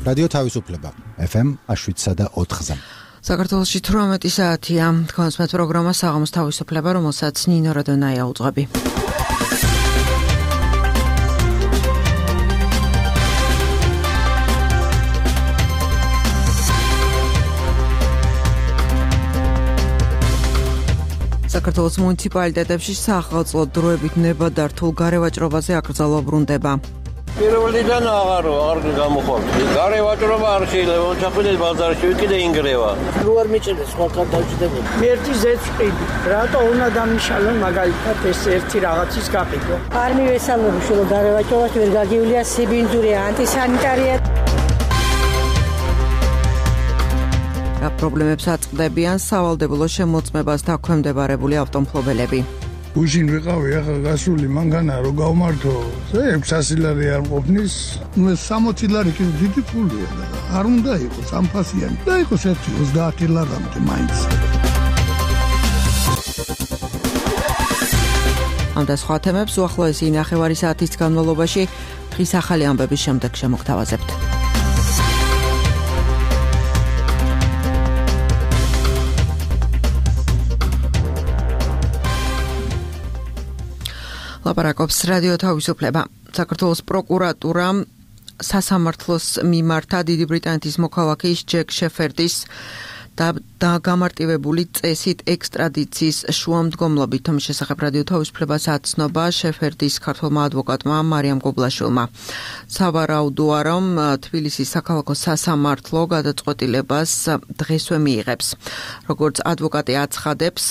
რადიო თავისუფლება FM 7.4-ზე. საქართველოში 18 საათია. თქვენს მე პროგრამა საღამოს თავისუფლება, რომელსაც ნინო რადონაია უძღვები. საქართველოს მუნიციპალიტეტებში სახელმწიფო დროებით ნებადართულ გარევაჭრობაზე აკრძალვა ბრუნდება. პირველიდან აღარ გამოხვალ. გარევაჭრობა არ შეიძლება ჩახვიდეს ბაზარში, ვიკიდე ინგრევა. რო არ მიჭირდეს სხვაგან დავჭირდება. ერთი ზეწყვი. რატო უნდა დამიშალონ მაგალითად ეს ერთი რაღაცის გაკეთება. არ მივესალმები რომ გარევაჭრობაში ვერ გაგივლია სიბინძურია, ანტისანიტარია. პრობლემებს აწყდებიან სავალდებულო შემოწმებას დაქვემდებარებული ავტომფლობელები. გუშინ ვიყავი, ახლა გასული მანქანა რო გავმართო, 600 ლარი არ ყოფნის, ეს 60 ლარი კი დიდი ფულია და არ უნდა იყოს ამფასიანი. და იყოს 30 ლარამდე მაინც. ამ და სხვა თემებს უახლოესი ნახევარი საათის განმავლობაში დღის ახალი ამბების შემდეგ შემოგთავაზებთ. ლაპარაკობს რადიო თავისუფლება. საქართველოს პროკურატურა სასამართლოს მიმართა დიდი ბრიტანეთის მოქალაქის ჯეკ შეფერდის და გამარტივებული წესით ექსტრადიციის შუამდგომლობით. თუმცა შესახებ რადიო თავისუფლებას აცნობა შეფერდის ქართველმა ადვოკატმა მარიამ გობლაშვილმა. სავარაუდოა, რომ თბილისის საქალაქო სასამართლო გადაწყვეტილებას დღესვე მიიღებს. როგორც ადვოკატი აცხადებს,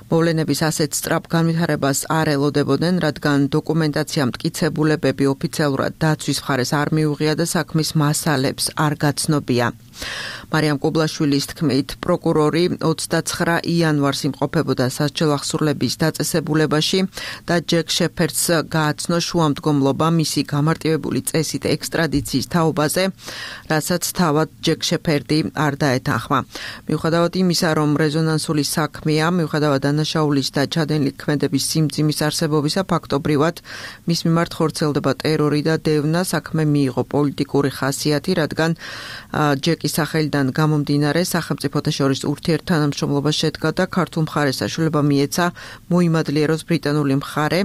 მოვლენების ასეთ სწრაფ განვითარებას არ ელოდებოდნენ, რადგან დოკუმენტაცია მტკიცებულებები ოფიციალურად დაცვის მხარეს არ მიუღია და საქმის მასალებს არ გაცნობია. მარიამ კობლაშვილის თქმით, პროკურორი 29 იანვარს იმყოფებოდა სასჯელ ახსურლების დაწესებულებაში და ჯეკ შეფერდს გააცნო შუამდგომლობა მისი გამარტივებული წესით ექსტრადიციის თაობაზე, რასაც თავად ჯეკ შეფერდი არ დაეთანხმა. მიუხედავად იმისა, რომ რეზონანსული საქმეა, მიუხედავად დანაშაულის და ჩადენილი ქმედების სიმძიმის არსებობისა, ფაქტობრივად მის მიმართ ხორციელდება ტერორი და დევნა. საქმე მიიღო პოლიტიკური ხასიათი, რადგან ჯეკის სახელიდან გამომდინარე სახელმწიფოთა შორის ურთიერთთანამშრომლობა შედგა და ქართულ მხარეს საშუალება მიეცა მოიმადლიეროს ბრიტანული მხარე,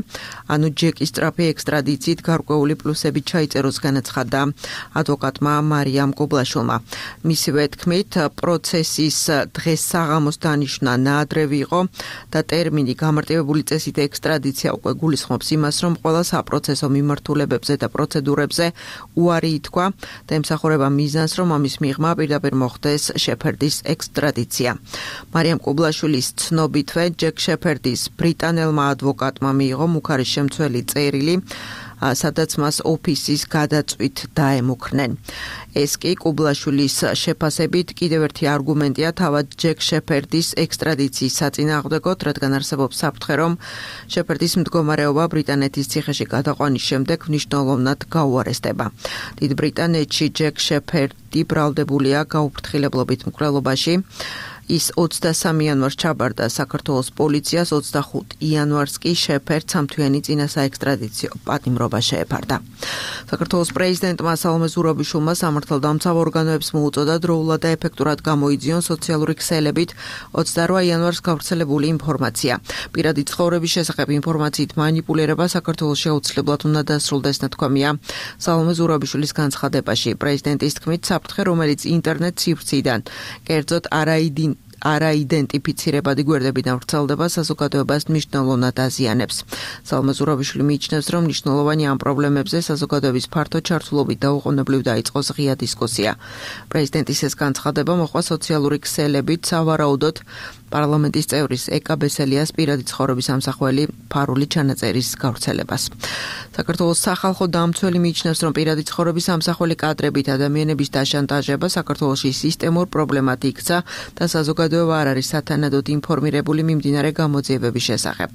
ანუ ჯეკის სწრაფი ექსტრადიციით გარკვეული პლუსები ჩაიწეროს განაცხადა ადვოკატმა მარიამ გობლაშვილმა. მისივე თქმით, პროცესის დღეს საღამოს დანიშვნა ნაადრევი იყო და ტერმინი გამარტივებული წესით ექსტრადიცია უკვე გულისხმობს იმას, რომ ყველა საპროცესო მიმართულებებზე და პროცედურებზე უარი ითქვა და ემსახურება მიზანს, რომ ამის მიღმა პირდაპირ მოხდეს შეფერდის ექსტრადიცია. მარიამ კობლაშვილის ცნობითვე ჯეკ შეფერდის ბრიტანელმა ადვოკატმა მიიღო მუქარის შემცველი წერილი, სადაც მას ოფისის გადაწვით დაემუქრნენ. ეს კი კუბლაშვილის შეფასებით კიდევ ერთი არგუმენტია თავად ჯეკ შეფერდის ექსტრადიციის საწინააღმდეგოდ, რადგან არსებობს საფრთხე, რომ შეფერდის მდგომარეობა ბრიტანეთის ციხეში გადაყვანის შემდეგ მნიშვნელოვნად გაუარესდება. დიდ ბრიტანეთში ჯეკ შეფერდი ბრალდებულია გაუფრთხილებლობით მკვლელობაში. ის 23 იანვარს ჩაბარდა საქართველოს პოლიციას, 25 იანვარს კი შეფერდს სამთვიანი წინასაექსტრადიციო პატიმრობა შეეფარდა. საქართველოს პრეზიდენტმა სალომე ზურაბიშვილმა სამართალდამცავ ორგანოებს მოუწოდა დროულად და ეფექტურად გამოიძიონ სოციალური ქსელებით 28 იანვარს გავრცელებული ინფორმაცია. პირადი ცხოვრების შესახებ ინფორმაციით манипулირება საქართველოს შეუცვლებლად უნდა დასრულდეს, ნათქვამია სალომე ზურაბიშვილის განცხადებაში. პრეზიდენტის თქმით, საფრთხე, რომელიც ინტერნეტ სივრციდან, კერძოდ არაიდენტიფიცირებადი გვერდებიდან ვრცელდება, საზოგადოებას მნიშვნელოვნად აზიანებს. სალომე ზურაბიშვილი მიიჩნევს, რომ მნიშვნელოვანი ამ პრობლემებზე საზოგადოების ფართო ჩართულობით დაუყოვნებლივ დაიწყოს ღია დისკუსია. პრეზიდენტის ეს განცხადება მოჰყვა სოციალური ქსელებით, სავარაუდოდ პარლამენტის წევრის ეკა ბესელიას პირადი ცხოვრების ამსახველი ფარული ჩანაწერის გავრცელებას. საქართველოს სახალხო დამცველი მიიჩნევს, რომ პირადი ცხოვრების ამსახველი კადრებით ადამიანების დაშანტაჟება საქართველოში სისტემურ პრობლემად იქცა და საზოგადოება არ არის სათანადოდ ინფორმირებული მიმდინარე გამოძიებების შესახებ.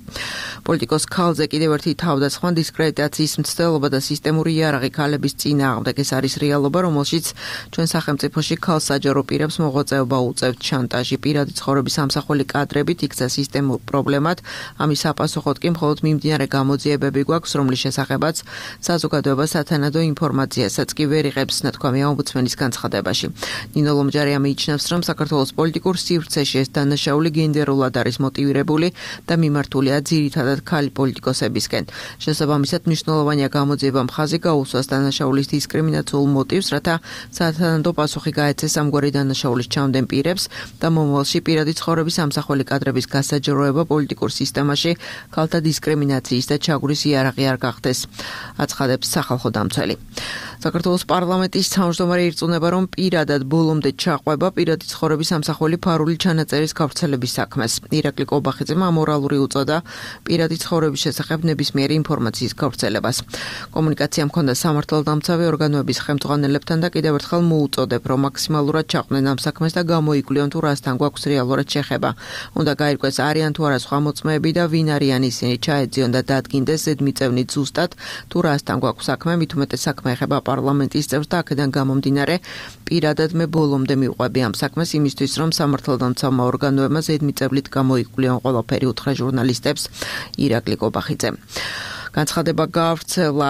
პოლიტიკოს ქალზე კიდევ ერთი თავდასხმა დისკრედიტაციის მცდელობა და სისტემური იარაღი ქალების წინააღმდეგ. ეს არის რეალობა, რომელშიც ჩვენ სახელმწიფოში ქალ საჯარო პირებს მოღვაწეობა უწევთ, შანტაჟი, პირადი ცხოვრების ამსახველი ამსახველი კადრებით იქცა სისტემურ პრობლემად, ამის საპასუხოდ კი მხოლოდ მიმდინარე გამოძიებები გვაქვს, რომლის შესახებაც საზოგადოება სათანადო ინფორმაციასაც კი ვერ იღებს, ნათქვამია ომბუდსმენის განცხადებაში. ნინო ლომჯარია მიიჩნევს, რომ საქართველოს პოლიტიკურ სივრცეში ეს დანაშაული გენდერულად არის მოტივირებული და მიმართულია ძირითადად ქალი პოლიტიკოსებისკენ. შესაბამისად, მნიშვნელოვანია გამოძიება მხაზი გაუსვას დანაშაულის დისკრიმინაციულ მოტივს, რათა სათანადო პასუხი გაეცეს ამგვარი დანაშაულის ჩამდენ პირებს და მომავალში პირადი ცხოვრების ამსახველი კადრების გასაჯროება პოლიტიკურ სისტემაში ქალთა დისკრიმინაციის და ჩაგვრის იარაღი არ გახდეს, აცხადებს სახალხო დამცველი. საქართველოს პარლამენტის თავმჯდომარე ირწმუნება, რომ პირადად ბოლომდე ჩაყვება პირადი ცხოვრების ამსახველი ფარული ჩანაწერის გავრცელების საქმეს. ირაკლი კობახიძემ ამორალური უწოდა პირადი ცხოვრების შესახებ ნებისმიერი ინფორმაციის გავრცელებას. კომუნიკაცია მქონდა სამართალდამცავი ორგანოების ხელმძღვანელებთან და კიდევ ერთხელ მოუწოდებ, რომ მაქსიმალურად ჩაყვნენ ამ საქმეს და გამოიკვლიონ თუ რასთან გვაქვს რეალურად შეხება. უნდა გაირკვეს არიან თუ არა სხვა მოწმეები და ვინ არიან ისინი, ჩაეძიონ და დადგინდეს ზედმიწევნით ზუსტად თუ რასთან გვაქვს საქმე, მით უმეტეს საქმე ეხება პარლამენტის წევრს და აქედან გამომდინარე პირადად მე ბოლომდე მივყვები ამ საქმეს იმისთვის, რომ სამართალდამცავმა ორგანოებმა ზედმიწევნით გამოიკვლიონ ყველაფერი, უთხრა ჟურნალისტებს ირაკლი კობახიძე. განცხადება გავრცელა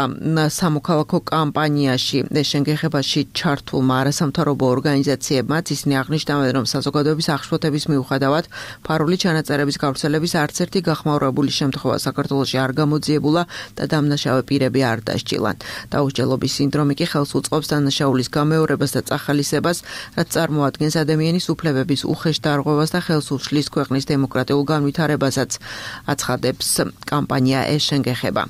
სამოქალაქო კამპანიაში შენგეხებაში ჩართულმა არასამთავრობო ორგანიზაციებმაც. ისინი აღნიშნავენ, რომ საზოგადოების აღშფოთების მიუხედავად ფარული ჩანაწერების გავრცელების არც ერთი გახმაურებული შემთხვევა საქართველოში არ გამოძიებულა და დამნაშავე პირები არ დასჯილან. დაუსჯელობის სინდრომი კი ხელს უწყობს დანაშაულის გამეორებას და წახალისებას, რაც წარმოადგენს ადამიანის უფლებების უხეშ დარღვევას და ხელს უშლის ქვეყნის დემოკრატიულ განვითარებასაც, აცხადებს კამპანია შენგეხება.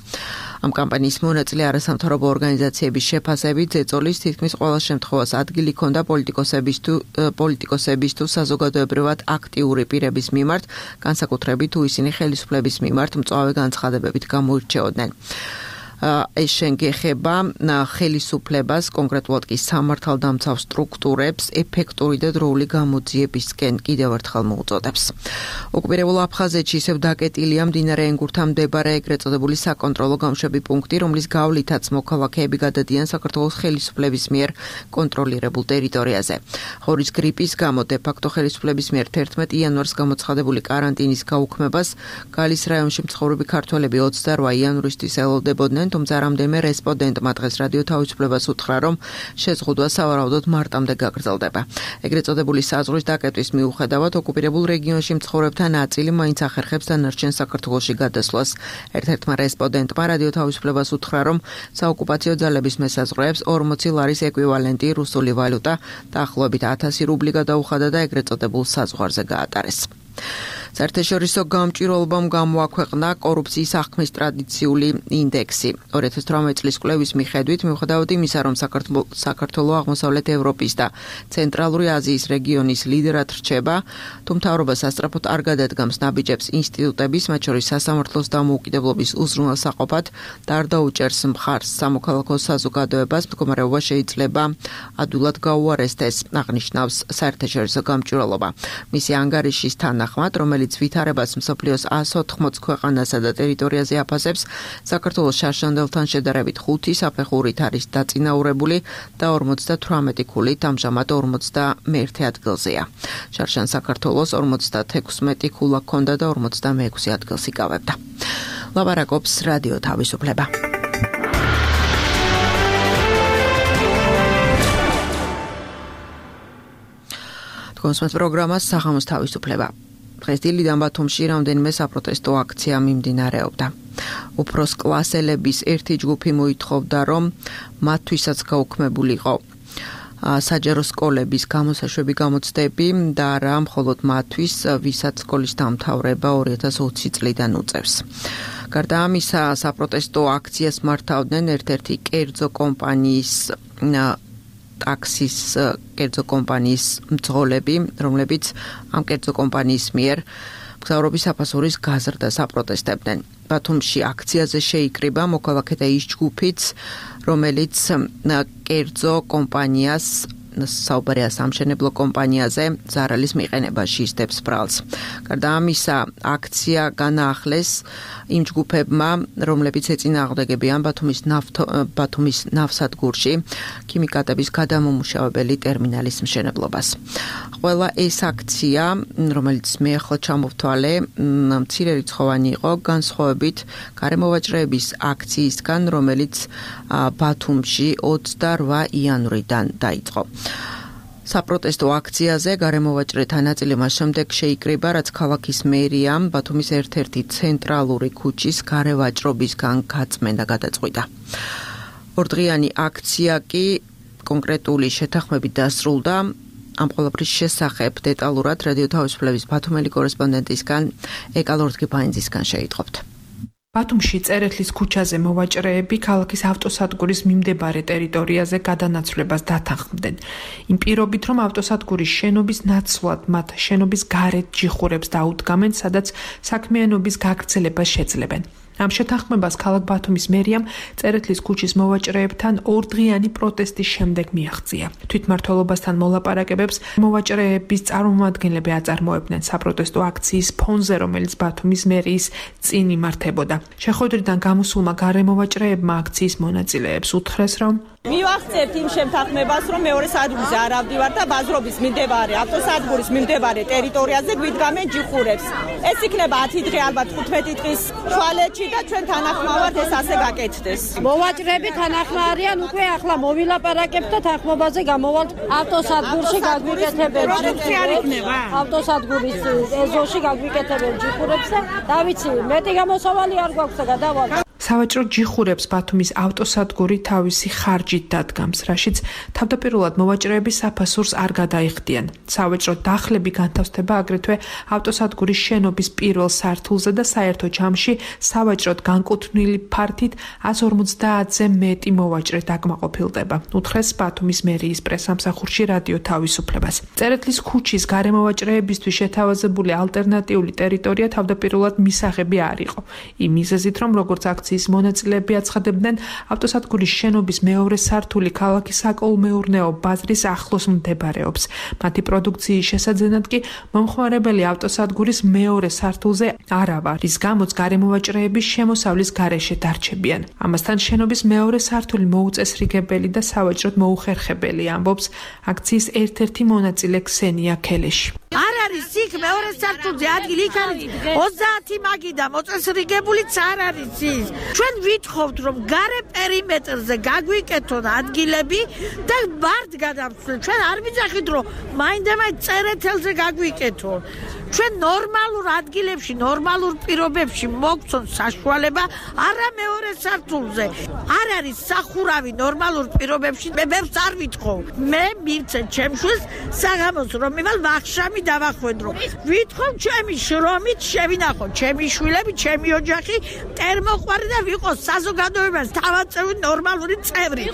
ამ კამპანიის მონაწილე არასამთავრობო ორგანიზაციების შეფასებით ზეწოლის თითქმის ყველა შემთხვევას ადგილი ჰქონდა პოლიტიკოსების თუ საზოგადოებრივად აქტიური პირების მიმართ, განსაკუთრებით თუ ისინი ხელისუფლების მიმართ მწვავე განცხადებებით გამოირჩეოდნენ. შენგეხება ხელისუფლებას, კონკრეტულად კი სამართალდამცავ სტრუქტურებს ეფექტური და დროული გამოძიებისკენ კიდევ ერთხელ მოუწოდებს. ოკუპირებულ აფხაზეთში ისევ დაკეტილია მდინარე ენგურთან მდებარე ეგრეთ წოდებული საკონტროლო გამშვები პუნქტი, რომლის გავლითაც მოქალაქეები გადადიან საქართველოს ხელისუფლების მიერ კონტროლირებულ ტერიტორიაზე. ხორის გრიპის გამო დე-ფაქტო ხელისუფლების მიერ 11 იანვარს გამოცხადებული კარანტინის გაუქმებას გალის რაიონში მცხოვრები ქართველები 28 იანვრისთვის ელოდებოდნენ, თუმცა რამდენიმე რესპონდენტმა დღეს რადიო თავისუფლებას უთხრა, რომ შეზღუდვა სავარაუდოდ მარტამდე გაგრძელდება. ეგრეთ წოდებული საზღვრის დაკეტვის მიუხედავად ოკუპირებულ რეგიონში მცხოვრებთა ნაწილი მაინც ახერხებს დანარჩენ საქართველოში გადასვლას. ერთ-ერთმა რესპონდენტმა რადიო თავისუფლებას უთხრა, რომ საოკუპაციო ძალების მესაზღვრეებს 40 ლარის ეკვივალენტი რუსული ვალუტა დაახლოებით 1000 რუბლი გადაუხადა და ეგრეთ წოდებულ საზღვარზე გაატარეს. საერთაშორისო გამჭვირვალობამ გამოაქვეყნა კორუფციის აღქმის ტრადიციული ინდექსი. 2018 წლის კვლევის მიხედვით, მიუხედავად იმისა, რომ საქართველო აღმოსავლეთ ევროპის და ცენტრალური აზიის რეგიონის ლიდერად რჩება, თუ მთავრობას ასწრაფოდ არ გადადგამს ნაბიჯებს ინსტიტუტების, მათ შორის სასამართლოს დამოუკიდებლობის უზრუნველსაყოფად და არ დაუჭერს მხარს სამოქალაქო საზოგადოებას, მდგომარეობა შეიძლება ადვილად გაუარესდეს, აღნიშნავს საერთაშორისო გამჭვირვალობა. მისი ანგარიშის თანახმად, რომელიც ვითარებას მსოფლიოს 180 ქვეყანასა და ტერიტორიაზე აფასებს, საქართველოს შარშანდელთან შედარებით 5 საფეხურით არის დაწინაურებული და 58 ქულით ამჟამად 51 ადგილზეა. შარშან საქართველოს 56 ქულა ჰქონდა და 46 ადგილს იკავებდა. ლაპარაკობს რადიო თავისუფლება. თქვენს პროგრამას სახამოს თავისუფლება. დღეს დილიდან ბათუმში რამდენიმე საპროტესტო აქცია მიმდინარეობდა. უფროს კლასელების ერთი ჯგუფი მოითხოვდა, რომ მათთვისაც გაუქმებულიყო საჯარო სკოლების გამოსაშვები გამოცდები და არა მხოლოდ მათთვის, ვისაც სკოლის დამთავრება 2020 წლიდან უწევს. გარდა ამისა, საპროტესტო აქციას მართავდნენ ერთ-ერთი კერძო კომპანიის ტაქსის კერძო კომპანიის მძღოლები, რომლებიც ამ კერძო კომპანიის მიერ მგზავრობის საფასურის გაზრდას აპროტესტებდნენ. ბათუმში აქციაზე შეიკრიბა მოქალაქეთა ის ჯგუფიც, რომელიც კერძო კომპანიას საუბარია სამშენებლო კომპანიაზე ზარალის მიყენებაში ისდებს ბრალს. გარდა ამისა, აქცია განაახლეს იმ ჯგუფებმა, რომლებიც ეწინააღმდეგებიან ბათუმის ნავსადგურში ქიმიკატების გადამომუშავებელი ტერმინალის მშენებლობას. ყველა ეს აქცია, რომელიც მე ახლა ჩამოვთვალე, მცირე რიცხოვანი იყო, განსხვავებით გარემოვაჭრეების აქციისგან, რომელიც ბათუმში 28 იანვრიდან დაიწყო. საპროტესტო აქციაზე გარემოვაჭრეთა ნაწილი მას შემდეგ შეიკრიბა, რაც ქალაქის მერიამ ბათუმის ერთ-ერთი ცენტრალური ქუჩის გარევაჭრობისგან გაწმენდა გადაწყვიტა. ორდღიანი აქცია კი კონკრეტული შეთანხმებით დასრულდა. ამ ყველაფრის შესახებ დეტალურად რადიო თავისუფლების ბათუმელი კორესპონდენტისგან ეკალორთგიფაინძისგან შეიტყობთ. ბათუმში წერეთლის ქუჩაზე მოვაჭრეები ქალაქის ავტოსადგურის მიმდებარე ტერიტორიაზე გადანაცვლებას დათანხმდნენ. იმ პირობით, რომ ავტოსადგურის შენობის ნაცვლად მათ შენობის გარეთ ჯიხურებს დაუდგამენ, სადაც საქმიანობის გაგრძელებას შეძლებენ. ამ შეთანხმებას ქალაქ ბათუმის მერიამ წერეთლის ქუჩის მოვაჭრეებთან ორდღიანი პროტესტის შემდეგ მიაღწია. თვითმმართველობასთან მოლაპარაკებებს მოვაჭრეების წარმომადგენლები აწარმოებდნენ საპროტესტო აქციის ფონზე, რომელიც ბათუმის მერიის წინ იმართებოდა. შეხვედრიდან გამოსულმა გარემოვაჭრეებმა აქციის მონაწილეებს უთხრეს, რომ მივახცევთ იმ შეთანხმებას, რომ მეორე სადგურზე არ ავდივარ და ბაზრობის მიმდებარე ავტოსადგურის მიმდებარე ტერიტორიაზე გვიდგამენ ჯიხურებს. ეს იქნება 10 დღე, ალბათ 15 დღის თვალეთში და ჩვენ თანახმავართ ეს ასე გაკეთდეს. მოვაჭრეები თანახმარიან, უკვე ახლა მოვილაპარაკებთ და თანხმობაზე გამოვალთ ავტოსადგურში გაგვიკეთებენ ჯიხურებს. ავტოსადგურის ეზოში გაგვიკეთებენ ჯიხურებს და დავიცი, მეტი გამოსავალი არ გვაქვს და გადავალთ. სავაჭრო ჯიხურებს ბათუმის ავტოსადგური თავისი ხარჯით დადგამს, რაშიც თავდაპირველად მოვაჭრეები საფასურს არ გადაიხდიან. სავაჭრო დახლები განთავსდება აგრეთვე ავტოსადგურის შენობის პირველ სართულზე და საერთო ჯამში სავაჭროდ განკუთვნილი ფართით 150-ზე მეტი მოვაჭრე დაკმაყოფილდება. უთხრეს ბათუმის მერიის პრესამსახურში რადიო თავისუფლებას. წერეთლის ქუჩის გარემოვაჭრეებისთვის შეთავაზებული ალტერნატიული ტერიტორია თავდაპირველად მისაღები არ იყო. იმ მიზეზით, რომ როგორც აქციის მონაწილეები აცხადებდნენ, ავტოსადგურის შენობის მეორე სართული ქალაქის საკოლმეურნეო ბაზრის ახლოს მდებარეობს. მათი პროდუქციის შესაძენად კი მომხმარებელი ავტოსადგურის მეორე სართულზე არავა, რის გამოც გარემოვაჭრეები შემოსავლის გარეშე დარჩებიან. ამასთან შენობის მეორე სართული მოუწესრიგებელი და სავაჭროდ მოუხერხებელი, ამბობს აქციის ერთ-ერთი მონაწილე ქსენია ქელეში. არ არის იქ მეორე სართულზე ადგილი, იქ არის 30 მაგიდა მოწესრიგებულიც არ არის ის. ჩვენ ვითხოვთ, რომ გარე პერიმეტრზე გაგვიკეთონ ადგილები და ბარდ გადავცვლეთ. ჩვენ არ ვიძახით, რომ მაინდა-მაინც წერეთელზე გაგვიკეთონ. ჩვენ ნორმალურ ადგილებში, ნორმალურ პირობებში მოგცონ საშუალება, არა მეორე სართულზე. არ არის სახურავი ნორმალურ პირობებში, მე ბევრს არ ვითხოვ. მე მივცე ჩემშვილს საღამოს რომ მივალ ვახშამი დავახვედრო. ვითხოვ ჩემი შრომით შევინახო ჩემი შვილები, ჩემი ოჯახი, ტერმოყვარი და ვიყოს საზოგადოებას თავაწევი ნორმალური წევრი.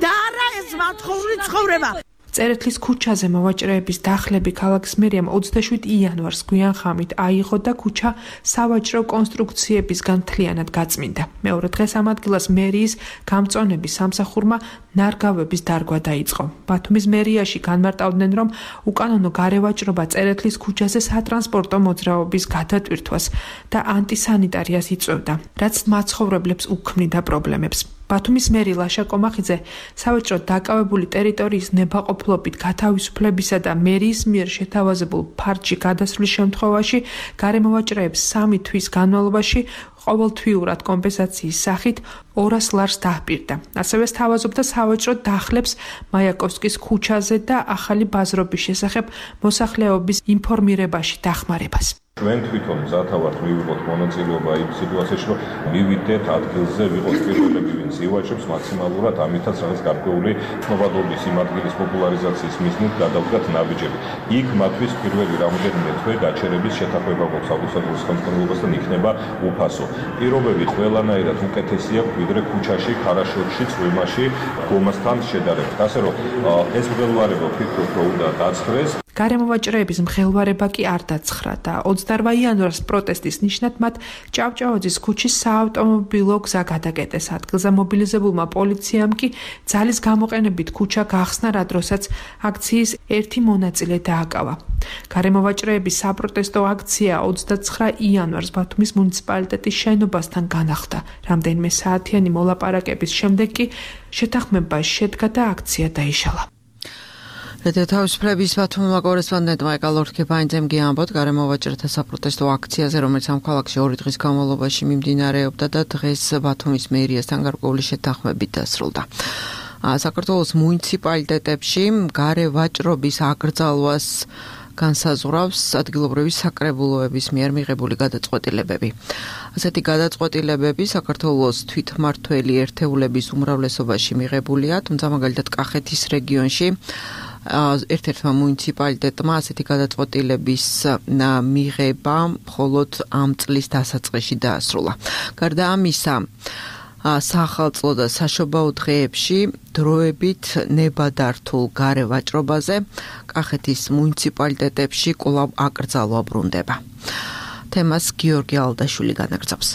და არა ეს მათხოვრი ცხოვრება. წერეთლის ქუჩაზე მოვაჭრეების დახლები ქალაქის მერიამ 27 იანვარს გვიანხამით აიღო და ქუჩა სავაჭრო კონსტრუქციებისგან მთლიანად გაწმინდა. მეორე დღეს ამ ადგილას მერიის გამწონების სამსახურმა ნარგავების დარგვა დაიწყო. ბათუმის მერიაში განმარტავდნენ, რომ უკანონო გარევაჭრობა წერეთლის ქუჩაზე სატრანსპორტო მოძრაობის გადატვირთვას და ანტისანიტარიას იწვევდა, რაც მაცხოვრებლებს უქმნიდა პრობლემებს. ბათუმის მერი ლაშა კომახიძე სავაჭრო დაკავებული ტერიტორიის ნებაყოფლობით გათავისუფლებისა და მერიის მიერ შეთავაზებულ ფარჯში გადასვლის შემთხვევაში გარემოვაჭრეებს 3 თვის განმავლობაში ყოველთვიურად კომპენსაციის სახით 200 ლარს დაჰპირდა. ასევე სთავაზობდა სავაჭრო დახლებს მაიაკოვსკის ქუჩაზე და ახალი ბაზრობის შესახებ მოსახლეობის ინფორმირებაში დახმარებას. ჩვენ თვითონ მზათავართ მივიღოთ მონაწილეობა იმ სიტუაციაში, რომ მივიდეთ ადგილზე, ვიყოთ პირველები, ვინც ივაჭრებს მაქსიმალურად, ამითაც რაღაც გარკვეული ცნობადობის იმ ადგილის პოპულარიზაციის მიზნით გადავდგათ ნაბიჯები. იქ მათთვის პირველი რამოდენიმე თვე გაჩერების შეთანხმება გვაქვს ავტოსადგურის ხელმძღვანელობასთან, იქნება უფასო. პირობები ყველანაირად უკეთესია, ვიდრე ქუჩაში, ქარაშორში, წვიმაში, გომასთან შედარებით. ასე რომ ეს მღელვარება ვფიქრობ, რომ უნდა დაწყდეს. გარემოვაჭრეების მხელვარება კი არ დაცხრა და 28 იანვარს პროტესტის ნიშნად მათ ჭავჭავაძის ქუჩის საავტომობილო გზა გადაკეტეს. ადგილზე მობილიზებულმა პოლიციამ კი ძალის გამოყენებით ქუჩა გახსნა, რა დროსაც აქციის ერთი მონაწილე დააკავა. გარემოვაჭრეების საპროტესტო აქცია 29 იანვარს ბათუმის მუნიციპალიტეტის შენობასთან განახლდა. რამდენიმე საათიანი მოლაპარაკების შემდეგ კი შეთანხმება შედგა და აქცია დაიშალა. თავისუფლების ბათუმმა კორესპონდენტმა ეკალორქებაინძემ გიამბოთ გარემოვაჭრეთა საპროტესტო აქციაზე, რომელიც ამ ქალაქში 2 დღის განმავლობაში მიმდინარეობდა და დღეს ბათუმის მერიასთან გარკვეული შეთანხმებით დასრულდა. საქართველოს მუნიციპალიტეტებში გარევაჭრობის აკრძალვას განსაზღვრავს ადგილობრივი საკრებულოების მიერ მიღებული გადაწყვეტილებები. ასეთი გადაწყვეტილებები საქართველოს თვითმმართველი ერთეულების უმრავლესობაში მიღებულია, თუმცა მაგალითად კახეთის რეგიონში ერთ-ერთმა მუნიციპალიტეტმა ასეთი გადაწყვეტილების მიღება მხოლოდ ამ წლის დასაწყისში დაასრულა. გარდა ამისა, სახალხო და საშობაო დღეებში დროებით ნებადართულ გარევაჭრობაზე კახეთის მუნიციპალიტეტებში კვლავ აკრძალვა ბრუნდება. თემას გიორგი ალდაშვილი განაგრძობს.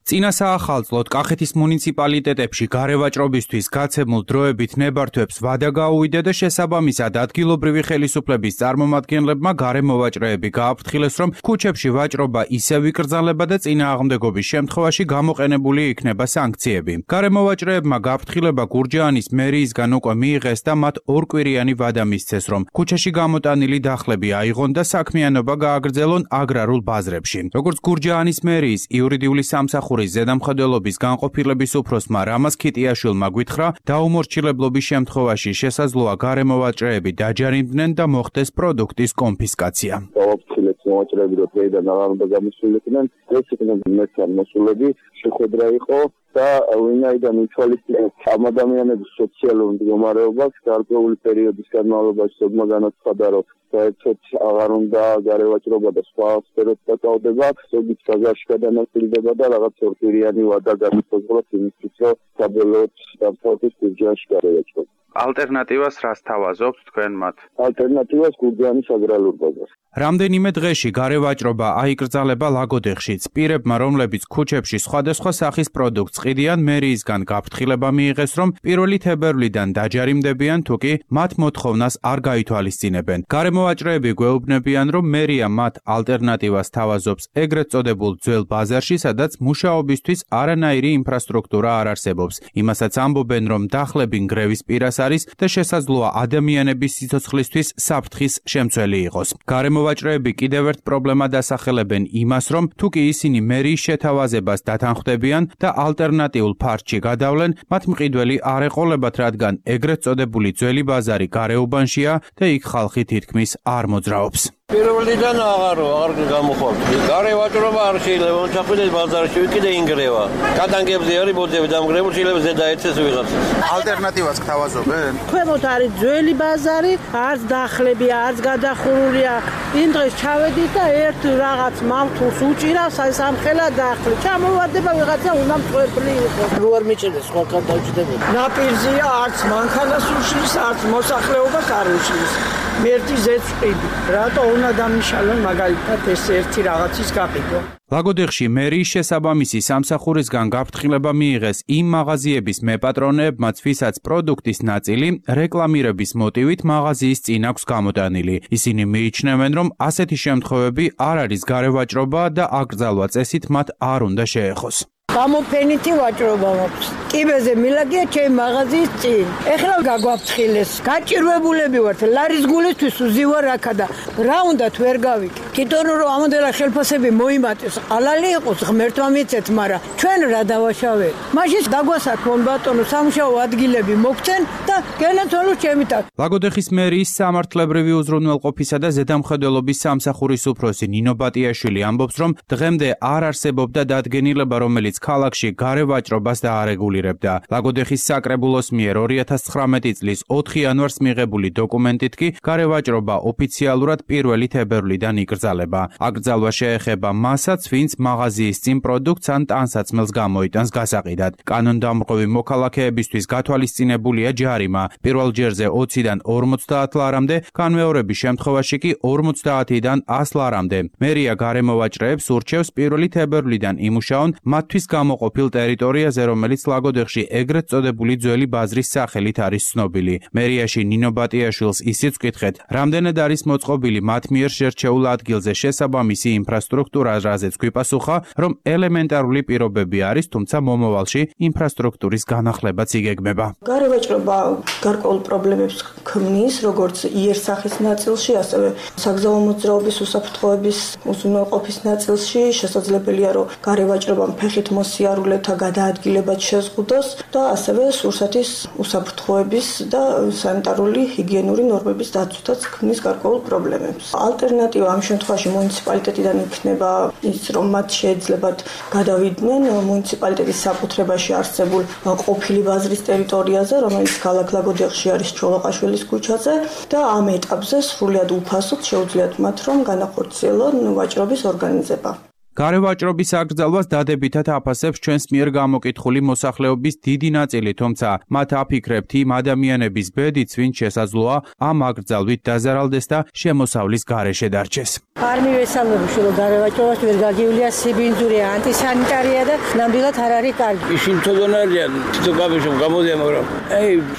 წინა საახალწლოდ კახეთის მუნიციპალიტეტებში გარევაჭრობისთვის გაცემულ დროებით ნებართვებს ვადა გაუვიდა და შესაბამისად ადგილობრივი ხელისუფლების წარმომადგენლებმა გარემოვაჭრეები გააფრთხილეს, რომ ქუჩებში ვაჭრობა ისევ იკრძალება და წინააღმდეგობის შემთხვევაში გამოყენებული იქნება სანქციები. გარემოვაჭრეებმა გაფრთხილება გურჯაანის მერიისგან უკვე მიიღეს და მათ ორკვირიანი ვადა მისცეს, რომ ქუჩაში გამოტანილი დახლები აიღონ და საქმიანობა გააგრძელონ აგრარულ ბაზრებში. როგორც გურჯაანის მერიის იურიდიული სამსახური ზედამხედველობის განყოფილების უფროსმა რამაზ ქიტიაშვილმა გვითხრა, დაუმორჩილებლობის შემთხვევაში შესაძლოა გარემოვაჭრეები დაჯარიმდნენ და მოხდეს პროდუქტის კონფისკაცია. დავაფრთხილეთ მოვაჭრეები, რომ დღეიდან აღარ გამოსულიყვნენ, ეს იქნება მესამე მოსულები, შეხვედრა იყო და ვინაიდან ითვალისწინებს ამ ადამიანების სოციალურ მდგომარეობას, გარკვეული პერიოდის განმავლობაში ზოგმა განაცხადა, რომ საერთოდ აღარ უნდა გარევაჭრობა და სხვა სფეროებს დაკავდება, ზოგიც ბაზარში გადანაწილდება და რაღაც ორკვირიანი ვადა განისაზღვრა იმისთვის, რომ საბოლოოდ დამთავრდეს გურჯაანში გარევაჭრობა. ალტერნატივას რას თავაზობთ თქვენ მათ? ალტერნატივას გურჯაანის აგრარულ ბაზარს. რამდენიმე დღეში გარევაჭრობა აიკრძალება ლაგოდეხშიც. პირებმა, რომლებიც ქუჩებში სხვადასხვა სახის პროდუქტს ყიდიან, მერიისგან გაფრთხილება მიიღეს, რომ 1 თებერვლიდან დაჯარიმდებიან, თუ კი მათ მოთხოვნას არ გაითვალისწინებენ. გარემოვაჭრეები გვეუბნებიან, რომ მერია მათ ალტერნატივას თავაზობს ეგრეთ წოდებულ ძველ ბაზარში, სადაც მუშაობისთვის არანაირი ინფრასტრუქტურა არ არსებობს. იმასაც ამბობენ, რომ დახლები ნგრევის პირას არის და შესაძლოა ადამიანების სიცოცხლისთვის საფრთხის შემცველი იყოს. გარემოვაჭრეები კიდევ ერთ პრობლემად ასახელებენ იმას, რომ თუ კი ისინი მერიის შეთავაზებას დათანხმდებიან და ალტერნატიულ ფარჩში გადავლენ, მათ მყიდველი არ ეყოლებათ, რადგან ეგრეთ წოდებული ძველი ბაზარი გარეუბანშია და იქ ხალხი თითქმის არ მოძრაობს. პირველიდან აღარ გამოხვალთ. გარევაჭრობა არ შეიძლება ჩახვიდეს ბაზარში, კიდე ინგრევა. გადანგებზე არის ბოძები დამგრეული, შეიძლება ზედა ეცეს ვიღაცას. ალტერნატივას გთავაზობენ? ქვემოთ არის ძველი ბაზარი, არც დახლები, არც გადახურულია. იმ დღეს ჩავედით და ერთ რაღაც მავთულს უჭირავს სამხელა დახლი. ჩამოვარდება ვიღაცა უნდა მწვერფლი იყოს. რო არ მიჭირდეს სხვაგან დაუჭდებოდა. ნაპირზია, არც მანქანას უშლის, არც მოსახლეობას არ უშლის. მერტი ზეწყვილი. რატო უნდა დამიშალონ მაგალითად ეს ერთი რაღაცის გაფიქრო? ლაგოდეხში მერიის შესაბამისი სამსახურისგან გაფრთხილება მიიღეს იმ მაღაზიების მეპატრონეებმაც, ვისაც პროდუქტის ნაწილი რეკლამირების მოტივით მაღაზიის წინ აქვს გამოტანილი. ისინი მიიჩნევენ, რომ ასეთი შემთხვევები არ არის გარევაჭრობა და აკრძალვა წესით მათ არ უნდა შეეხოს. გამოფენითი ვაჭრობა მაქვს. კიბეზე მილაგია ჩემი მაღაზიის წინ. ეხლა გაგვაფრთხილეს. გაჭირვებულები ვართ. ლარის გულისთვის ვზივარ აქა და რა უნდათ ვერ გავიკე. თვითონ რომ ამოდელა ხელფასები მოიმატეს, ყალალი იყოს ღმერთმა მიცეთ, მაგრამ ჩვენ რა დავაშავეთ. მაშინ დაგვასაქმონ ბატონო სამუშაო ადგილები მოგცენ და გენათვალო ჩემითაც. ლაგოდეხის მერიის სამართლებრივი უზრუნველყოფისა და ზედამხედველობის სამსახურის უფროსი ნინო ბატიაშვილი ამბობს, რომ დღემდე არ არსებობდა დადგენილება, რომელიც ქალაქში გარევაჭრობას დაარეგულირებდა. ლაგოდეხის საკრებულოს მიერ 2019 წლის 4 იანვარს მიღებული დოკუმენტით კი გარევაჭრობა ოფიციალურად 1 თებერვლიდან იკრძალება. აკრძალება. აკრძალვა შეეხება მასაც, ვინც მაღაზიის წინ პროდუქტს ან ტანსაცმელს გამოიტანს გასაყიდად. კანონდამრღვევი მოქალაქეებისთვის გათვალისწინებულია ჯარიმა. პირველ ჯერზე 20-დან 50 ლარამდე, განმეორების შემთხვევაში კი 50-დან 100 ლარამდე. მერია გარემოვაჭრეებს ურჩევს 1 თებერვლიდან იმუშაონ მათთვის გამოყოფილ ტერიტორიაზე, რომელიც ლაგოდეხში ეგრეთ წოდებული ძველი ბაზრის სახელით არის ცნობილი. მერიაში ნინო ბატიაშვილს ისიც ვკითხეთ, რამდენად არის მოწყობილი მათ მიერ შერჩეულ ადგილზე შესაბამისი ინფრასტრუქტურა, რაზეც გვიპასუხა, რომ ელემენტარული პირობები არის, თუმცა მომავალში ინფრასტრუქტურის განახლებაც იგეგმება. გარევაჭრობა გარკვეულ პრობლემებს ქმნის, როგორც იერსახის ნაწილში, ასევე საგზაო მოძრაობის უსაფრთხოების უზრუნველყოფის ნაწილში. შესაძლებელია, რომ გარევაჭრობამ ფეხით მოსიარულეთა გადაადგილებაც შეზღუდოს და ასევე სურსათის უსაფრთხოების და სანიტარული ჰიგიენური ნორმების დაცვითაც ქმნის გარკვეულ პრობლემებს. ალტერნატივა ამ შემთხვევაში მუნიციპალიტეტიდან იქნება ის, რომ მათ შეეძლებათ გადავიდნენ მუნიციპალიტეტის საკუთრებაში არსებულ ყოფილი ბაზრის ტერიტორიაზე, რომელიც ქალაქ ლაგოდეხში არის ჩოლოყაშვილის ქუჩაზე და ამ ეტაპზე სრულად უფასოდ შეუძლიათ მათ რომ განახორციელონ ვაჭრობის ორგანიზება. გარევაჭრობის აკრძალვას დადებითად აფასებს ჩვენს მიერ გამოკითხული მოსახლეობის დიდი ნაწილი, თუმცა მათ აფიქრებთ იმ ადამიანების ბედიც, ვინც შესაძლოა ამ აკრძალვით დაზარალდეს და შემოსავლის გარეშე დარჩეს. არ მივესალმებში, რომ გარევაჭრობას ვერ გაგივლია სიბინძურია, ანტისანიტარია და ნამდვილად არ არის კარგი. ისინი თოდონარიან, თვითონ გამიშომ გამოდიან, მაგრამ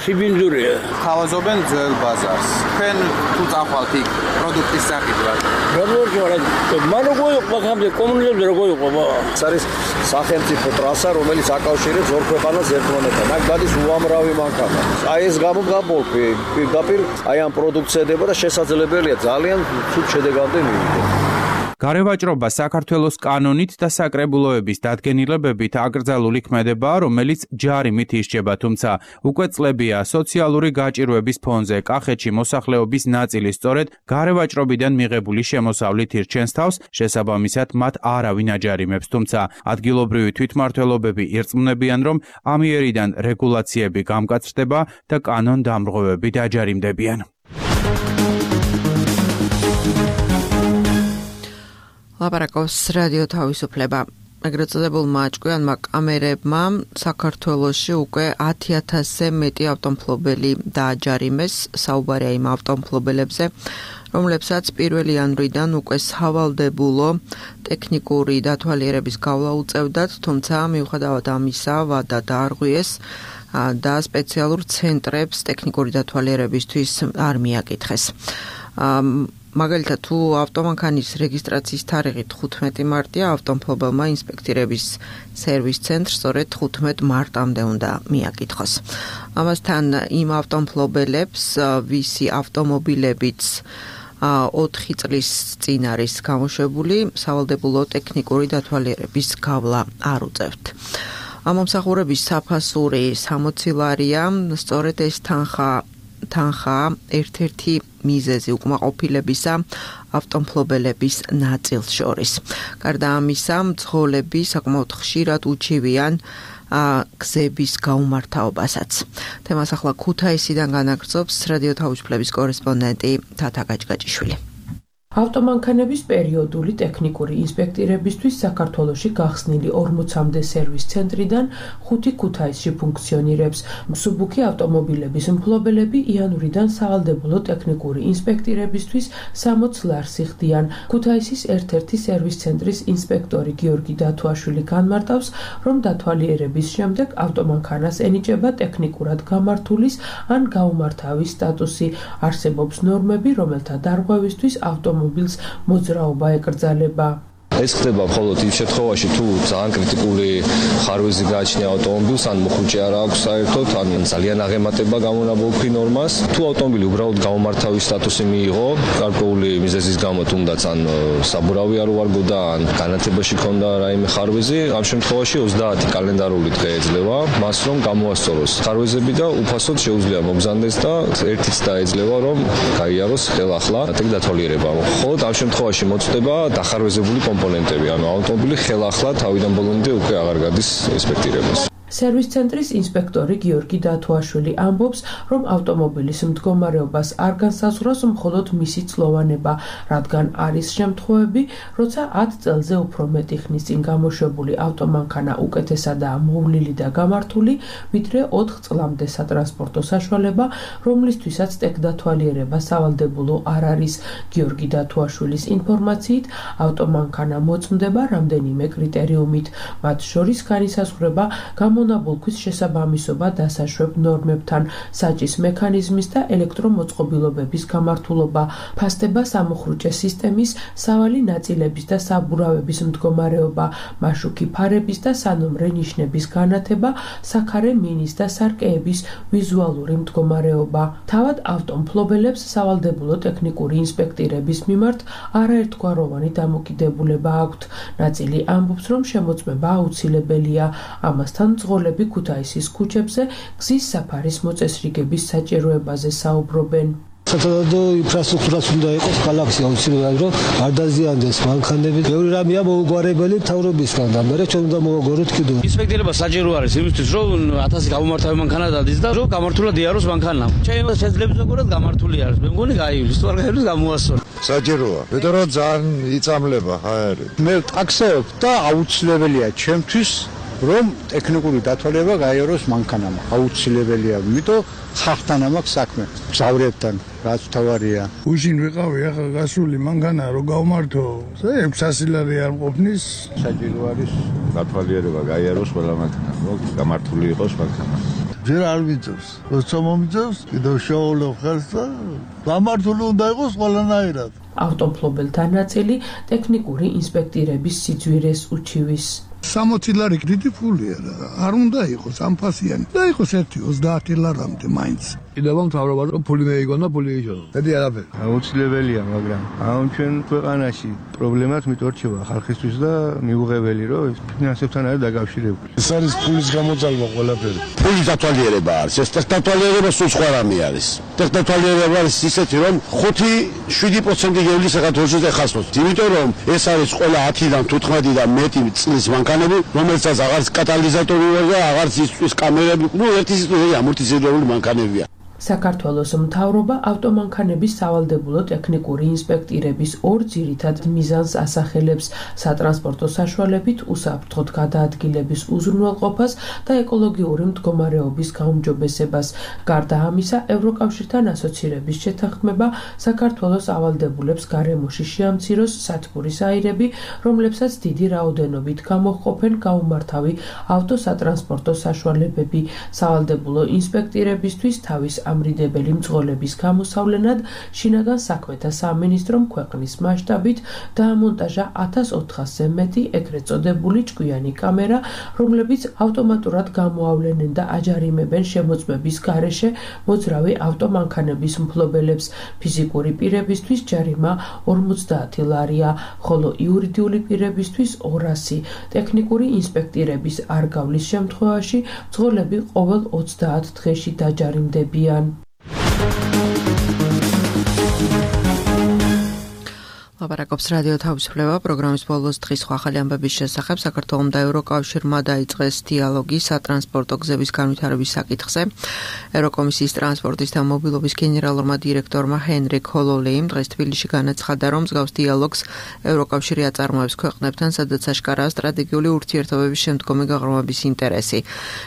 სიბინძურია. თავაზობენ ძველ ბაზარს. თქვენ თუ წახვალთ იქ პროდუქტის სახით რა? მან როგორ იყო ხამდე კომუნიზმზე როგორ იყო? ეს არის სახელმწიფო ტრასა, რომელიც აკავშირებს ორ ქვეყანას ერთმანეთთან. აქ გადის უამრავი მანქანა. აი ეს გამოგაბოლქვი პირდაპირ აი ამ პროდუქტს ედება და შესაძლებელია ძალიან ცუდ შედეგამდე მივიდეს. გარევაჭრობა საქართველოს კანონით და საკრებულოების დადგენილებებით აკრძალული ქმედებაა, რომელიც ჯარიმით ისჯება, თუმცა უკვე წლებია სოციალური გაჭირვების ფონზე კახეთში მოსახლეობის ნაწილი სწორედ გარევაჭრობიდან მიღებული შემოსავლით ირჩენს თავს, შესაბამისად მათ არავინ აჯარიმებს, თუმცა ადგილობრივი თვითმმართველობები ირწმუნებიან, რომ ამიერიდან რეგულაციები გამკაცრდება და კანონდამრღვევები დაჯარიმდებიან. ლაპარაკობს რადიო თავისუფლება. ეგრეთ წოდებულმა ჭკვიანმა კამერებმა საქართველოში უკვე 10,000-ზე მეტი ავტომობილი დააჯარიმეს. საუბარია იმ ავტომობილებზე, რომლებსაც 1 იანვრიდან უკვე სავალდებულო ტექნიკური დათვალიერების გავლა უწევდათ, თუმცა მიუხედავად ამისა ვადა დაარღვიეს და სპეციალურ ცენტრებს ტექნიკური დათვალიერებისთვის არ მიაკითხეს. მაგალითად, თუ ავტომანქანის რეგისტრაციის თარიღი 15 მარტია, ავტომობილმა ინსპექტირების სერვის ცენტრს სწორედ 15 მარტამდე უნდა მიაკითხოს. ამასთან იმ ავტომობილებს, ვისი ავტომობილებიც 4 წლის წინ არის გამოშვებული, სავალდებულო ტექნიკური დათვალიერების გავლა არ უწევთ. ამომსახურების საფასური 60 ლარია, სწორედ ეს თანხა ერთ-ერთი მიზეზი უკმაყოფილებისა ავტომობილების ნაწილს შორის. გარდა ამისა, მძღოლები საკმაოდ ხშირად უჩივიან გზების გაუმართავობასაც. თემას ახლა ქუთაისიდან განაგრძობს რადიო თავისუფლების კორესპონდენტი თათა გაჭგაჭიშვილი. ავტომანქანების პერიოდული ტექნიკური ინსპექტირებისთვის საქართველოში გახსნილი 40-მდე სერვის ცენტრიდან 5 ქუთაისში ფუნქციონირებს. მსუბუქი ავტომობილების მფლობელები იანვრიდან სავალდებულო ტექნიკური ინსპექტირებისთვის 60 ლარს იხდიან. ქუთაისის ერთ-ერთი სერვის ცენტრის ინსპექტორი გიორგი დათუაშვილი განმარტავს, რომ დათვალიერების შემდეგ ავტომანქანას ენიჭება ტექნიკურად გამართულის ან გაუმართავის სტატუსი. არსებობს ნორმები, რომელთა დარღვევისთვის ავტომობილს მოძრაობა ეკრძალება. ეს ხდება მხოლოდ იმ შემთხვევაში, თუ ძალიან კრიტიკული ხარვეზი გააჩნია ავტომობილს, ან მოხუჭი არ აქვს საერთოდ, ან ძალიან აღემატება გამონაბოლქვი ნორმას. თუ ავტომობილი უბრალოდ გაუმართავის სტატუსი მიიღო, გარკვეული მიზეზის გამო თუნდაც ან საბურავი არ უარგო და ან განათებაში ქონდა რაიმე ხარვეზი, ამ შემთხვევაში 30 კალენდარული დღე ეძლევა მას, რომ გამოასწოროს ხარვეზები და უფასოდ შეუძლია მოგზავნდეს და ერთიც დაეძლევა, რომ გაიაროს ხელახლა დათვალიერება. მხოლოდ ამ შემთხვევაში მოწდება დახარვეზებული კომპონენტები, ანუ ავტომობილი ხელახლა თავიდან ბოლომდე უკვე აღარ გადის ინსპექტირებას. სერვის ცენტრის ინსპექტორი გიორგი დათუაშვილი ამბობს, რომ ავტომობილის მდგომარეობას არ განსაზღვრავს მხოლოდ მისი წლოვანება, რადგან არის შემთხვევები, როცა 10 წელზე უფრო მეტი ხნის წინ გამოშვებული ავტომანქანა უკეთესადაა მოვლილი და გამართული, ვიდრე 4 წლამდე სატრანსპორტო საშუალება, რომლისთვისაც ტექდათვალიერება სავალდებულო არ არის. გიორგი დათუაშვილის ინფორმაციით, ავტომანქანა მოწმდება რამდენიმე კრიტერიუმით, მათ შორის განისაზღვრება გამონაბოლქვის შესაბამისობა დასაშვებ ნორმებთან, საჭის მექანიზმის და ელექტრომოწყობილობების გამართულობა, ფასდება სამუხრუჭე სისტემის, სავალი ნაწილების და საბურავების მდგომარეობა, მაშუქი ფარების და სანომრე ნიშნების განათება, საქარე მინის და სარკეების ვიზუალური მდგომარეობა. თავად ავტომფლობელებს სავალდებულო ტექნიკური ინსპექტირების მიმართ არაერთგვაროვანი დამოკიდებულება აქვთ. ნაწილი ამბობს, რომ შემოწმება აუცილებელია. ამასთან მძღოლები ქუთაისის ქუჩებზე გზის საფარის მოწესრიგების საჭიროებაზე საუბრობენ. სათადო ინფრასტრუქტურაც უნდა იყოს ქალაქში აუცილებლად, რომ არ დაზიანდეს მანქანები. ბევრი რამეა მოუგვარებელი მთავრობისგან და მე ჩვენ უნდა მოვაგოროთ კიდევ. ინსპექტირება საჭირო არის იმისთვის, რომ 1000 გამომართავი მანქანა დადის და რომ გამართულად იაროს მანქანა. შეიძლება ზოგადად გამართული არის. მე მგონი გაივლის, თუ არ გაივლის გამოასწორო. საჭიროა. მეტყვი რომ ძალიან იწამლება ხარი. მე ტაქსევებ და აუცილებელია ჩემთვის რომ ტექნიკური დათვალიერება გაიაროს მანქანამ. აუცილებელია, იმიტომ ხალხთან ამაქვს საქმე. მგზავრებთან რაც თავარია. უშინ ვიყავი ახლა გასული მანქანა რომ გავმართო, 600 ლარი არ ყოფნის, საჭირო არის დათვალიერება გაიაროს ყველა მანქანა, რომ გამართული იყოს მანქანა. ჯერ არ მიწევს, როცა მომიწევს, კიდევ შეავლებ ხელს და გამართული უნდა იყოს ყველანაირად. ავტომფლობელთა ნაწილი ტექნიკური ინსპექტირების სიძვირეს უჩივის. 60 ლარი დიდი ფულია და არ უნდა იყოს ამფასიანი და იყოს 1-30 ლარამდე მაინც. კიდევ მთავრობა რომ ფული მეიგონ და ფული იშო. მეტი არაფერი. აუცილებელია, მაგრამ ამ ჩვენ ქვეყანაში პრობლემას მიტორჩება ხალხისთვის და მიუღებელი რომ ფინანსებთან არის დაკავშირებული. ეს არის ფულის გამოძალვა ყველაფერი. ფულის დათვალიერება არის. ეს ტექდათვალიერება სულ სხვა რამე არის. ტექდათვალიერება არის ისეთი რომ 5-7% გევლის საქართველოს ეხასოს. იმიტომ რომ ეს არის ყველა 10-დან 15 და მეტი წლის მანქანები, რომელსაც აღარც კატალიზატორი და აღარც ისთვის კამერები, ერთი სიტყვით ამორტიზირებული მანქანებია. საქართველოს მთავრობა ავტომანქანების სავალდებულო ტექნიკური ინსპექტირების ორ ძირითად მიზანს ასახელებს: სატრანსპორტო საშუალებით უსაფრთხოდ გადაადგილების უზრუნველყოფას და ეკოლოგიური მდგომარეობის გაუმჯობესებას. გარდა ამისა, ევროკავშირთან ასოცირების შეთანხმება საქართველოს ავალდებულებს გარემოში შეამციროს სათბურის აირები, რომლებსაც დიდი რაოდენობით გამოჰყოფენ გაუმართავი ავტოსატრანსპორტო საშუალებები. სავალდებულო ინსპექტირებისთვის თავის ამრიდებელი მძღოლების გამოსავლენად შინაგან საქმეთა სამინისტრომ ქვეყნის მასშტაბით დაამონტაჟა 1400-ზე მეტი ეგრეთ წოდებული ჭკვიანი კამერა, რომლებიც ავტომატურად გამოავლენენ და აჯარიმებენ შემოწმების გარეშე მოძრავი ავტომანქანების მფლობელებს. ფიზიკური პირებისთვის ჯარიმა 50 ლარია, ხოლო იურიდიული პირებისთვის 200. ტექნიკური ინსპექტირების არ გავლის შემთხვევაში მძღოლები ყოველ 30 დღეში დაჯარიმდებიან. ლაპარაკობს რადიო თავისუფლება პროგრამის ბოლოს დღის ახალი ამბების შესახებ. საქართველომ და ევროკავშირმა დაიწყეს დიალოგი სატრანსპორტო გზების განვითარების საკითხზე. ევროკომისიის ტრანსპორტის და მობილობის გენერალურმა დირექტორმა ჰენრიკ ჰოლოლეიმ დღეს თბილისში განაცხადა, რომ მსგავს დიალოგს ევროკავშირი აწარმოებს ქვეყნებთან, სადაც აშკარაა სტრატეგიული ურთიერთობების შემდგომი გაღრმავების ინტერესი.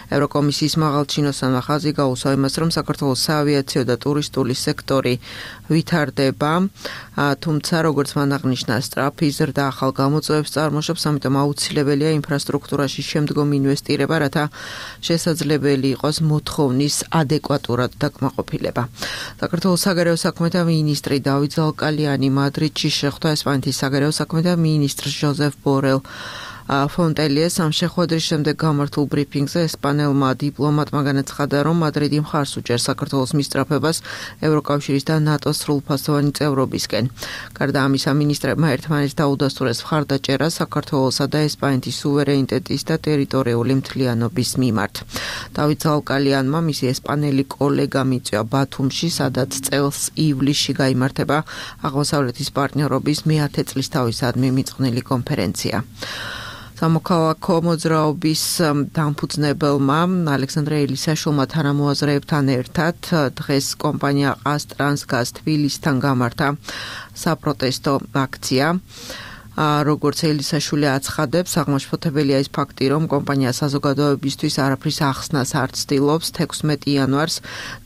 ევროკომისიის მაღალჩინოსანმა ხაზი გაუსვა იმას, რომ საქართველოს საავიაციო და ტურისტული სექტორი ვითარდება, თუმცა როგორც აღნიშნა სწრაფი ზრდა ახალ გამოწვევებს წარმოშობს, ამიტომ აუცილებელია ინფრასტრუქტურაში შემდგომი ინვესტირება, რათა შესაძლებელი იყოს მოთხოვნის ადეკვატურად დაკმაყოფილება. საქართველოს საგარეო საქმეთა მინისტრი დავით ზალკალიანი მადრიდში შეხვდა ესპანეთის საგარეო საქმეთა მინისტრს ჟოზეფ ბორელ ფონტელიეს. ამ შეხვედრის შემდეგ გამართულ ბრიფინგზე ესპანელმა დიპლომატმა განაცხადა, რომ მადრიდი მხარს უჭერს საქართველოს მისწრაფებას ევროკავშირის და ნატოს სრულფასოვანი წევრობისკენ. გარდა ამისა, მინისტრებმა ერთმანეთს დაუდასტურეს მხარდაჭერა საქართველოსა და ესპანეთის სუვერენიტეტის და ტერიტორიული მთლიანობის მიმართ. დავით ზალკალიანმა მისი ესპანელი კოლეგა მიწვია ბათუმში, სადაც წელს ივლისში გაიმართება აღმოსავლეთის პარტნიორობის მე-10 წლის თავისადმი მიწყვნილი კონფერენცია. სამოქალაქო მოძრაობის დამფუძნებელმა ალექსანდრე ელისაშვილმა თანამოაზრეებთან ერთად დღეს კომპანია ყაზტრანსგაზ თბილისთან გამართა საპროტესტო აქცია. როგორც ელისაშვილი აცხადებს, აღმაშფოთებელია ის ფაქტი, რომ კომპანია საზოგადოებისთვის არაფრის ახსნას არ ცდილობს 16 იანვარს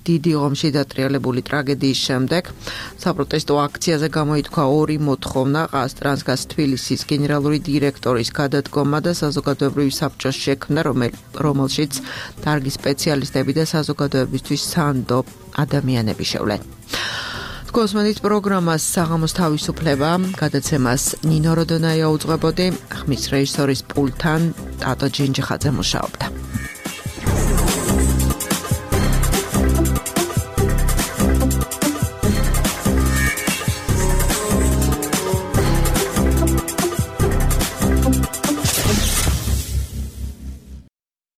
დიდი ომში დატრიალებული ტრაგედიის შემდეგ. საპროტესტო აქციაზე გამოითქვა ორი მოთხოვნა: ყაზტრანსგაზ თბილისის გენერალური დირექტორის გადადგომა და საზოგადოებრივი საბჭოს შექმნა, რომელშიც დარგის სპეციალისტები და საზოგადოებისთვის სანდო ადამიანები შევლენ. კოსმონით პროგრამას საღამოს თავისუფლება გადაცემას ნინო როდონაია უძღვებოდი, ხმის რეჟისორის პულტთან ტატო ჯინჯიხაძე მუშაობდა.